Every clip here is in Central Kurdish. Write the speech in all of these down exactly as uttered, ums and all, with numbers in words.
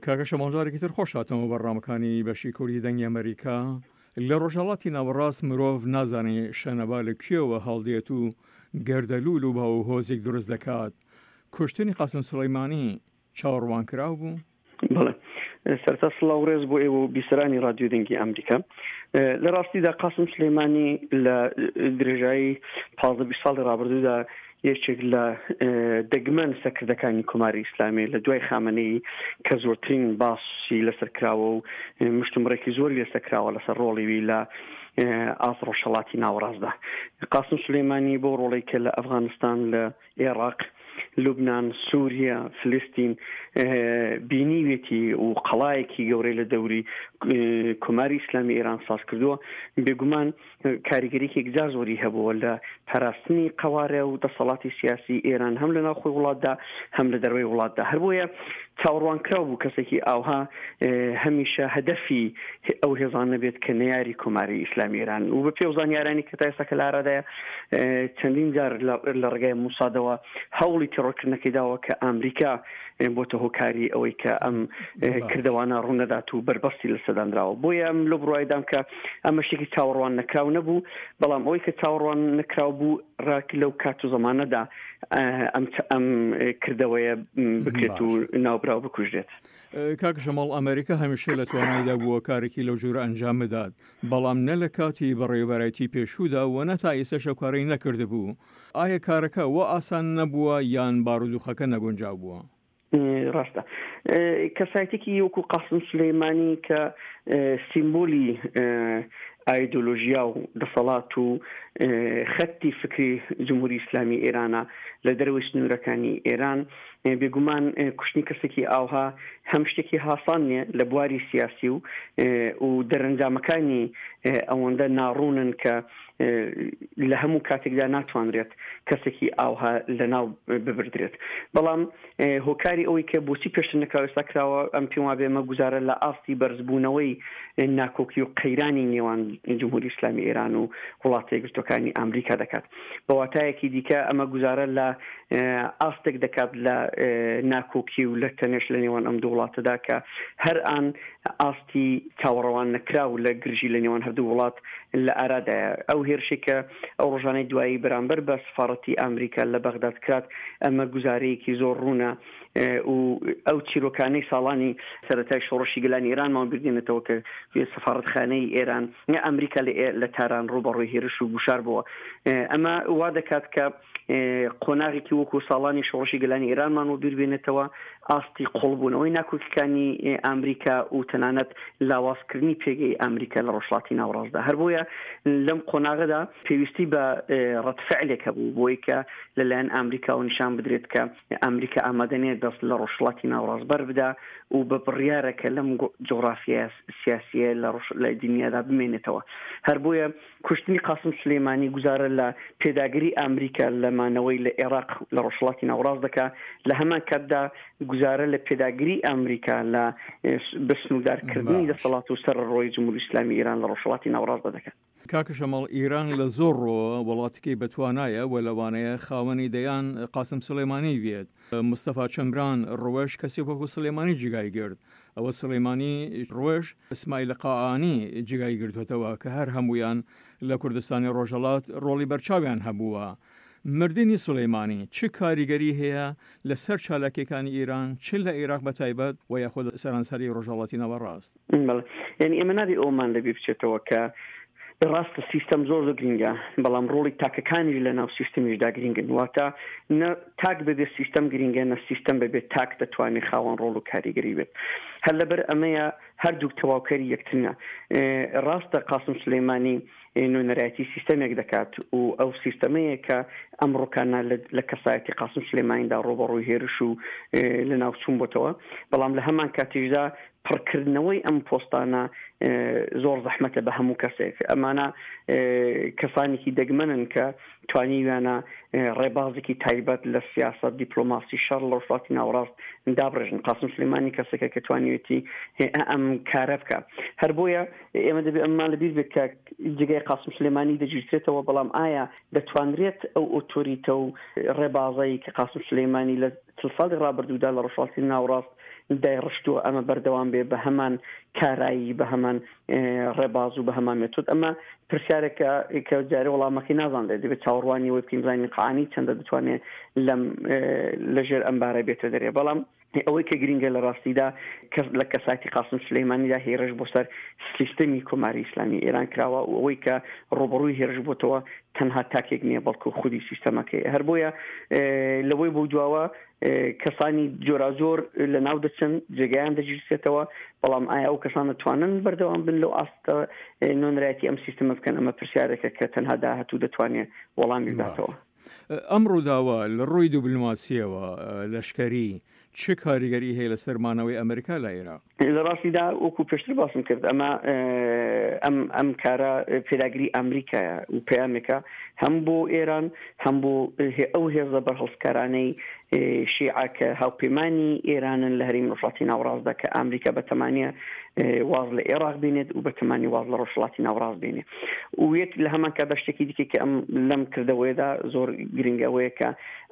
کاکە شەماڵ جارێکی تر خۆش هاتنەوە بەرنامەکانی بەشی کوردی دەنگی ئەمریکا. لە ڕۆژهەڵاتی ناوەڕاست مرۆڤ نازانێ شەنەبا لە کوێوە هەڵدێت و گەردەلوول و باو هۆزێک دروست دەکات. کوشتنی قاسم سولەیمانی چاوەڕوانکراو بوو؟ بەڵێ، سەرەتا سڵاو و ڕێز بۆ ئێوە و بیسەرانی ڕادیۆ دەنگی ئەمریکا. لە ڕاستیدا قاسم سولەیمانی لە درێژایی پازدە بیست ساڵی ڕابردوودا یەکێک لە دەگمەن سەرکردەکانی کۆماری ئیسلامی لە دوای خامنەیی کە زۆرترین باسی لەسەر کراوە و مشتومڕێکی زۆری لەسەر کراوە لەسەر ڕۆڵی وی لە ئاست ڕۆژهەڵاتی ناوەڕاستدا. قاسم سولەیمانی بۆ ڕۆڵی کە لە ئەفغانستان، لە ئێراق، لوبنان، سووریا، فلستین بینیوێتی و قەڵایەکی گەورەی لە دەوری کۆماری ئیسلامی ئێران ساز کردووە، بێگومان کاریگەریی یەکجار زۆری هەبووە لە پاراستنی قەوارە و دەسەڵاتی سیاسی ئێران هەم لە ناوخۆی وڵاتدا هەم لە دەرەوەی وڵاتدا. هەر بۆیە چاوەڕوانکراو بوو کەسێکی ئاوها هەمیشە هەدەفی ئەو هێزانە بێت کە نەیاری کۆماری ئیسلامی ئێران و بە پێ و زانیارانی کە تا ئێستا کە لە ئارادایە چەندین جار لە ڕێگای موسادەوە هەوڵی تێڕۆکردنەکەی داوە کە ئەمریکا بۆتە هۆکاری ئەوەی کە ئەم کردەوانە ڕوونەدات و بەربەستی لەسەدانراوە. بۆیە ئەم لەو بڕوایدام کە ئەمە شتێکی چاوەڕوان نەکراو نەبوو، بەڵام ئەوەی کە چاوەڕوان نەکراو بوو ڕاک لەو کات و زەمانەدا ئەم ئەم کردەوەیە بکرێت و ناوبراو بکوژرێت. کاک شەماڵ، ئەمریکا هەمیشە لە توانایدا بووە کارێکی لەو جۆرە ئەنجام بدات، بەڵام نە لە کاتی بەڕێوەبەرایەتی پێشوودا و نە تا ئێستاش ئەو کارەی نەکردبوو. ئایا کارەکە وا ئاسان نەبووە یان بارودۆخەکە نەگونجاو بووە؟ ڕاستە، کەسایەتێکی وەکو قاسم سولەیمانی کە سیمبولی ئایدۆلۆژیا و دەسەڵات و خەتی فکری جمهوری ئیسلامی ئێرانە لە دەرەوەی سنوورەکانی ئێران، بێگومان کوشتنی کەسێکی ئاوها هەم شتێکی هاسان نییە لە بواری سیاسی و و دەرەنجامەکانی ئەوەندە ناڕوونن کە لە هەموو کاتێکدا ناتوانرێت کەسێکی ئاوها لەناو ببردرێت. بەڵام هۆکاری ئەوەی کە بۆچی پێشتر نەکراوە ئێستا کراوە، ئەم پێم وابێ ئەمە گوزارە لە ئاستی بەرزبوونەوەی ناکۆکی و قەیرانی نێوان جمهوری ئیسلامی ئێران و وڵاتە یەکگرتووەکانی ئامریکا دەکات. بە واتایەکی دیکە ئەمە گوزارە لە ئاستێک دەکات لە ناکۆکی و لە تەنێش لە نێوان ئەم دوو وڵاتەدا کە هەر ئان ئاستی چاوەڕوان نەکراو لە گرژی لە نێوان هەردوو وڵات لە ئارادایە. ئەو هێرشێک کە ئەو ڕۆژانەی دوایی بەرامبەر بە سفارەتی ئامریکا لە بەغداد کرات، ئەمە گوزارەیەکی زۆر ڕوونە و ئەو چیرۆکانەی ساڵانی سەرەتای شۆڕشی گەلانی ئێرانمان بیردێنێتەوە کە سەفارەتخانەی ئێران ئەمریکا لە تاران ڕووبەڕووی هێرش و گوشار بووە. ئەمە وا دەکات کە قۆناغێکی وەکو ساڵانی شۆڕشی گەلانی ئێرانمان و بیربێنێتەوە، ئاستی قوڵبوونەوەی ناکۆکیەکانی ئەمریکا و تەنانەت لاوازکردنی پێگەی ئەمریکا لە ڕۆژهەڵاتی ناوەڕاستدا. هەر بۆیە لەم قۆناغەدا پێویستی بە ڕەدفعلێک هەبوو بۆی کە لەلایەن ئەمریکاوە نیشان بدرێت کە ئەمریکا ئامادە نییە دەست لە ڕۆژهەڵاتی ناوەڕاست بەر بدا و بە بڕیارە کە لەم جوغرافیا سیاسیە لە لە دنیادا بمێنێتەوە. هەر بۆیە کوشتنی قاسم سولەیمانی گوزارە لە پێداگری ئەمریکا لە مانەوەی لە عێراق لە ڕۆژهەڵاتی ناوەڕاست دەکا، لە هەمان کاتدا گوزارە لە پێداگری ئەمریکا لە بە سنووردارکردنی دەسەڵات و سەرەڕۆی جمهوری ئیسلامی ئێران لە ڕۆژهەڵاتی ناوەڕاستدا دەکات. کاکە شەماڵ، ئیران لە زۆر ڕۆوە وڵاتێکی بەتوانایە و لەوانەیە خاوەنی دەیان قاسم سولەیمانی بێت. مستەفا چەمران ڕوەش کەسێک وەکو سولەیمانی جێگای گرت. ئەوە سولەیمانی ڕوەش ئیسماعیل قائانی جێگای گرتووەتەوە کە هەر هەموویان لە کوردستانی ڕۆژهەڵات ڕۆڵی بەرچاویان هەبووە. مردنی سولەیمانی چ کاریگەری هەیە لەسەر چالاکیەکانی ئیران چ لە ئیراق بە تایبەت و یاخود سەرانسەری ڕۆژهەڵاتی ناوەڕاست؟ بەڵێ، یانی ئێمە نابێ ئەوەمان لەبیر بچێتەوە کە ڕاستە سیستەم زۆر زۆر گرینگە، بەڵام ڕۆڵی تاکەکانیش لە ناو سیستەمیشدا گرینگن. واتە نە تاک بەبێ سیستەم گرینگە، نە سیستەم بەبێ تاک دەتوانێت خاوەن ڕۆڵ و کاریگەری بێت. هەر لەبەر ئەمەیە هەردووک تەواوکەری یەکترنە. ڕاستە قاسم سولەیمانی نوێنەرایەتی سیستەمێک دەکات و ئەو سیستەمەیە کە ئەمڕۆکانە لە کەسایەتی قاسم سولەیمانیدا ڕووبەڕووی هێرش و لەناوچوون بۆتەوە، بەڵام لە هەمان کاتیشدا پڕکردنەوەی ئەم پۆستانە زۆر زەحمەتە بە هەموو کەسێک. ئەمانە کەسانێکی دەگمەنن کە توانیویانە ڕێبازێکی تایبەت لە سیاسەت، دیپلۆماسی، شەڕ لە ڕۆژهەڵاتی ناوەڕاست دابڕێژن. قاسم سولەیمانی کەسێکە کە توانیوێتی ئەم کارە بکە. هەر بۆیە ئێمە دەبێت ئەممان لەبیر بێت کە جێگای قاسم سولەیمانی دەگیرسێتەوە، بەڵام ئایا دەتوانرێت ئەو ئۆتۆریتە و ڕێبازەی کە قاسم سولەیمانی لە چل ساڵی ڕابردوودا لە ڕۆژهەڵاتی ناوەڕاست دایڕشتووە ئەمە بەردەوام بێ بە هەمان کارایی، بە هەمان ڕێباز و بە هەمان مێتۆد؟ ئەمە پرسیارێکە کە جارێ وەڵامەکەی نازانرێت. دەبێت چاوەڕوانی ئەوەی بکەین بزانین قەعانی چەندە دەتوانێت لەم لەژێر ئەم بارە بێتە دەرێ. بەڵام ئەوەی کە گرنگە لە ڕاستیدا لە کەسایەتی قاسم سولەیمانیدا هێرش بۆ سەر سیستەمی کۆماری ئیسلامی ئێران کراوە و ئەوەی کە ڕوبەڕووی هێرش بۆتەوە تەنها تاکێک نییە بەڵکو خودی سیستەمەکەی. هەر بۆیە لەوەی بۆ دواوە کەسانی جۆراجۆر لە ناو دەچن، جێگایان دەگیرسێتەوە، بەڵام ئایا ئەو کەسان دەتوانن بەردەوام بن لەو ئاستە نوێنەرایەتی ئەم سیستەمە بکەن؟ ئەمە پرسیارێکە کە تەنها داهاتوو دەتوانێت وەڵامی بداتەوە. ئەم ڕووداوە لە ڕووی دیبلۆماسیەوە لەشکەری چ کاریگەری هەیە لەسەر مانەوەی ئەمریکا لە عێراق؟ لە ڕاستیدا وەکو پێشتر باسم کرد ئەمە ئەم ئەم کارە پێداگری ئەمریکایە و پەیامێکە هەم بۆ ئێران هەم بۆ ئەو هێزە بەرهەڵستکارانەی شیعە کە هاوپەیمانی ئێرانن لە هەرێمی ڕۆژهەڵاتی ناوەڕاستدا کە ئەمریکا بەتەمانە واز لە عێراق بینێت و بەتەمانی واز لە ڕۆژهەڵاتی ناوەڕاست بینێت. و یەک لە هەمان کاتدا شتێکی دیکە کە ئەم لەم کردەوەیەدا زۆر گرنگەوەیە کە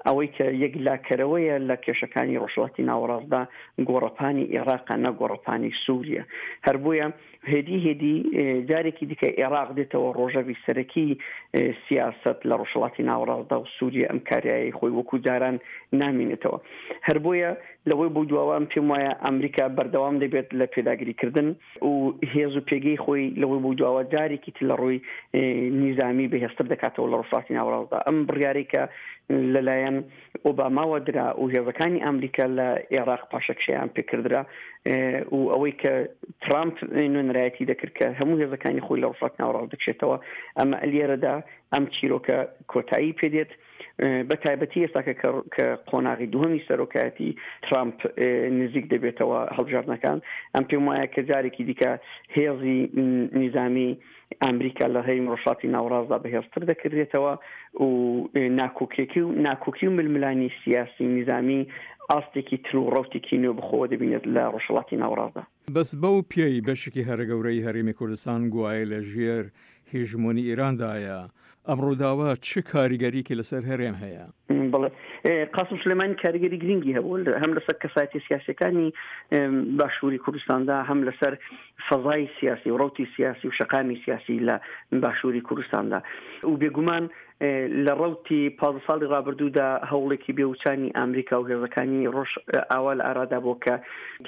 ئەوەی کە یەک لاکەرەوەیە لە کێشەکانی ڕۆژهەڵاتی ناوەڕاستدا گۆڕەپانی عێراقە نە گۆڕەپانی سووریە. هەر بۆیە هێدی هێدی جارێکی دیکە عێراق دێتەوە ڕۆژەوی سەرەکی سیاست لە ڕۆژهەڵاتی ناوەڕاستدا و سووریە ئەم کاریایی خۆی وەکو جاران نامینێتەوە. هەر بۆیە لەوەی بۆ دواوە پێم وایە ئەمریکا بەردەوام دەبێت لە پێداگریکردن و هێز و پێگەی خۆی لەوەی بۆ دواوە جارێکی تر لە ڕووی نیزامی بەهێزتر دەکاتەوە لە ڕۆژهەڵاتی ناوەڕاستدا. ئەم بڕیارەی کە لەلایەن ئۆباماوە درا و هێزەکانی ئەمریکا لە عێراق پاشەکشەیان پێکردرا و ئەوەی کە ترامپ نوێنەرایەتی دەکرد کە هەموو هێزەکانی خۆی لە ڕۆژهەڵاتی ناوەڕاست دەکشێتەوە، ئەمە لێرەدا ئەم چیرۆکە کۆتایی پێدێت. بە تایبەتی ئێستا کە قۆناغی دووهەمی سەرۆکایەتی ترامپ نزیک دەبێتەوە هەڵبژاردنەکان، ئەم پێم وایە کە جارێکی دیکە هێزی نیزامی ئەمریکا لە هەرێمی ڕۆژهەڵاتی ناوەڕاستدا بەهێزتر دەکردێتەوە و ناکۆکیەکی و ناکۆکی و ململانی سیاسی نیزامی ئاستێکی تر و ڕەوتێکی نوێ بخۆوە دەبینێت لە ڕۆژهەڵاتی ناوەڕاستدا. بەس بەو پێی بەشێکی هەرە گەورەی هەرێمی کوردستان گوایە لە ژێر هێژمۆنی ئێراندایە، ئەم ڕووداوە چ کاریگەریکی لەسەر هەرێم هەیە؟ بەڵێ، قاسم سولەیمانی کاریگەری گرنگی هەبوو هەم لەسەر کەسایەتی سیاسیەکانی باشووری کوردستاندا، هەم لەسەر فەزای سیاسی و ڕەوتی سیاسی و شەقامی سیاسی لە باشووری کوردستاندا. و بێگومان لە ڕەوتی پازدە ساڵی ڕابردوودا هەوڵێکی بێوچانی ئەمریکا و هێزەکانی ڕۆژ ئاوا لە ئارادا بوو کە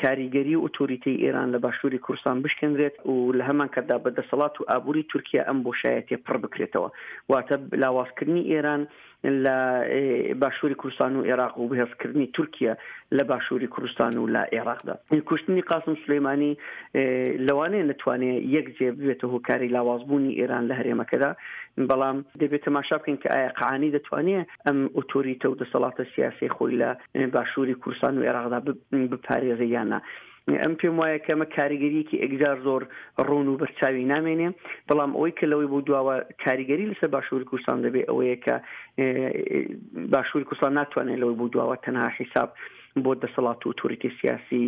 کاریگەری و ئۆتۆریتەی ئێران لە باشووری کوردستان بشکێنرێت و لە هەمان کاتدا بە دەسەڵات و ئابووری تورکیا ئەم بۆشایەتیە پڕ بکرێتەوە، واتە لاوازکردنی ئێران لە باشووری کوردستان و عێراق و بەهێزکردنی تورکیا لە باشووری کوردستان و لە عێراقدا. کوشتنی قاسم سولەیمانی لەوانەیە نتوانێت یەک جێ ببێتە هۆکاری لاوازبوونی ئێران لە هەرێمەکەدا، بەڵام دەبێت تەماشا بکەین کە ئایا قەعانی دەتوانێت ئەم ئۆتۆریتە و دەسەڵاتە سیاسی خۆی لە باشووری کوردستان و عێراقدا بپارێزە یان نا. ئەم پێم وایە کە ئەمە کاریگەریەکی ئەگجار زۆر ڕوون و بەرچاوی نامێنێ، بەڵام ئەوەی کە لەوەی بۆ دواوە کاریگەری لەسەر باشووری کوردستان دەبێت ئەوەیە کە باشووری کوردستان ناتوانێت لەوەی بۆ دواوە تەنها حیساب بۆ دەسەڵات و ئۆتۆریتی سیاسی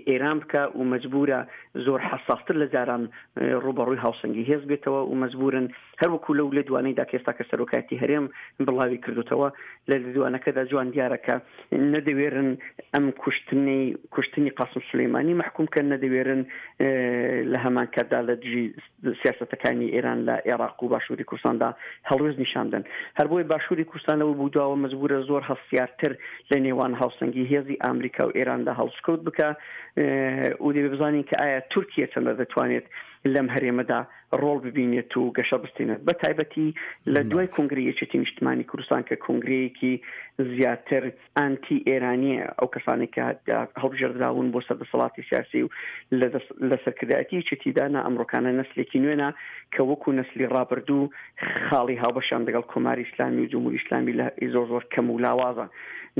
ئێران بکە و مەجبورە زۆر حەساستر لە جاران ڕووبەڕووی هاوسەنگی هێز بێتەوە و مەجبورن هەروەکو لەو لێدوانەیدا کە ئێستا کە سەرۆکایەتی هەرێم بڵاوی کردوتەوە لە لێدوانەکەدا جوان دیارە کە نەدەوێرن ئەم کوشتنی کوشتنی قاسم سولەیمانی مەحکوم کەن، نەدەوێرن لە هەمان کاتدا لە دژی سیاسەتەکانی ئێران لە عێراق و باشووری کوردستاندا هەڵوێست نیشان بدەن. هەر بۆیە باشووری کوردستان لەوە بوو دواوە مەجبورە زۆر هەستیارتر لە نێوان هاوسەنگی هێزی ئەمریکا و ئێراندا هەڵسکەوت بکە و دەبێت بزانین کە ئایا تورکیا چەندە دەتوانێت لەم هەرێمەدا ڕۆڵ ببینێت و گەشە بستێنێت، بە تایبەتی لە دوای کۆنگرەی یەکێتی نیشتمانی کوردستان کە کۆنگرەیەکی زیاتر ئانتی ئێرانیە، ئەو کەسانێک کە هەڵبژێردراون بۆ سەردەسەڵاتی سیاسی و لە سەرکردایەتی یەکێتیدا نا ئەمڕۆکانە نەسلێکی نوێنە کە وەکو نەسلی ڕابردوو خاڵی هاوبەشیان لەگەڵ کۆماری ئیسلامی و جمهوری ئیسلامی لە زۆر زۆر کەم و لاوازە.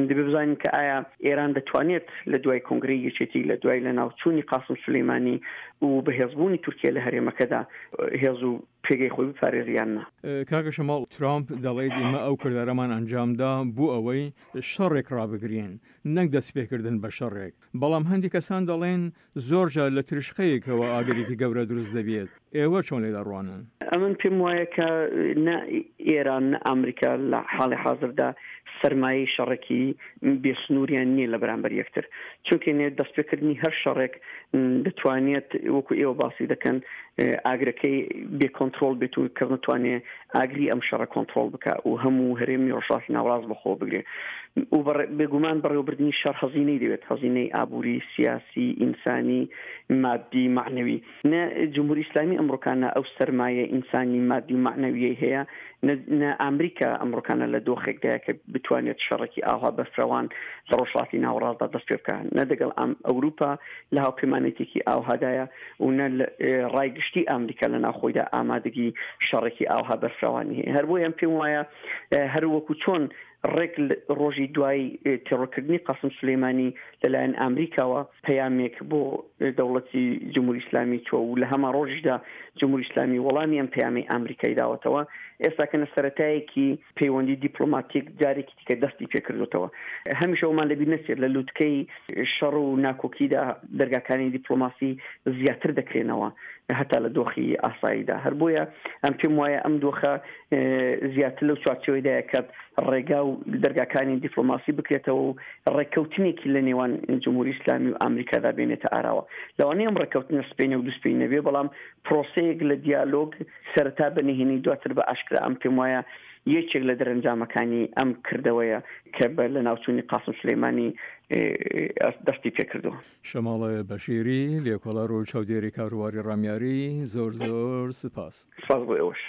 دەبێت بزانین کە ئایا ئێران دەتوانێت لە دوای کۆنگرەی یەکێتی، لە دوای لە ناوچوونی قاسم سولەیمانی و بەهێزبوونی تورکیا لە هەرێمەکەدا هێز و پێگەی خۆی بپارێزی یان نا. کاکە شەماڵ، ترامپ دەڵێت ئێمە ئەو کردارەمان ئەنجامدا بۆ ئەوەی شەڕێک ڕابگرین نەک دەست پێکردن بە شەڕێک، بەڵام هەندێک کەسان دەڵێن زۆر جار لە ترشقەیەکەوە ئاگرێکی گەورە دروست دەبێت. ئێوە چۆن لێ دەڕوانن؟ ئەمن پێم وایە کە نە ئێران نە ئەمریکا لە حاڵی حاضردا سەرمایەی شەڕێکی بێسنووریان نییە لە بەرامبەر یەکتر، چونکە نێ دەستپێکردنی هەر شەڕێک دەتوانێت وەکو ئێوە باسی دەکەن ئاگرەکەی بێ کۆنترۆڵ بێت و کەس نەتوانێت ئاگری ئەم شەڕە کۆنترۆڵ بکە و هەموو هەرێمی ڕۆژهەڵاتی ناوەڕاست بەخۆ بگرێ و بێگومان بەڕێوەبردنی شەڕ هەزینەی دەوێت، هەزینەی ئابووری، سیاسی، ئینسانی، مادی، مەعنەوی. نە جمهوری ئیسلامی ئەمڕۆکانە ئەو سەرمایە ئینسانی، مادی و مەعنەویەی هەیە، نە ئامریکا ئەمڕۆکانە لە دۆخێکدایە کە بتوانێت شەڕێکی ئاوها بەرفرەوان لە ڕۆژهەڵاتی ناوەڕاستدا دەست پێ بکا، نە دەگەڵ ئەوروپا لە هاوپەیمانێتێکی ئاوهادایە و نە ڕای گشتی ئامریکا لە ناوخۆیدا ئامادەگی شەڕێکی ئاوها بەرفرەوانی هەیە. هەر بۆیە پێم وایە هەر وەکو چۆن ڕێک ڕۆژی دوای تێڕۆرکردنی قاسم سولەیمانی لەلایەن ئامریکاوە پەیامێک بۆ دەوڵەتی جمهوری ئیسلامی چووە و لە هەمان ڕۆژیشدا جمهوری ئیسلامی وەڵامی ئەم پەیامەی ئامریکای داوەتەوە، ئێستاکە نە سەرەتایەکی پەیوەندی دیپلۆماتیک جارێکی دیکە دەستی پێکردوتەوە. هەمیشە ئەومان لەبیر نەچێت لە لوتکەی شەڕ و ناکۆکیدا دەرگاکانی دیپلۆماسی زیاتر دەکرێنەوە هەتا لە دۆخی ئاساییدا. هەر بۆیە ئەم پێم وایە ئەم دۆخە زیاتر لەو چوارچێوەیدایە کە ڕێگا و دەرگاکانی دیپلۆماسی بکرێتەوە و ڕێککەوتنێکی لە نێوان جمهوری ئیسلامی و ئامریکادا بێنێتە ئاراوە. لەوانەیە ئەم ڕێککەوتنە سپەینێ و دووسپەی نەبێ، بەڵام پرۆسەیەک لە دیالۆگ سەرەتا بە نهێنی دواتر بە ئاشکرا ئەم پێم وایە یەکێک لە دەرەنجامەکانی ئەم کردەوەیە کە بە لەناوچوونی قاسم سولەیمانی دەستی پێکردووە. شەماڵ بەشیری، لێکۆڵەر و چاودێری کاروباری ڕامیاری، زۆر زۆر سپاس. سپاس بۆ ئێوەش.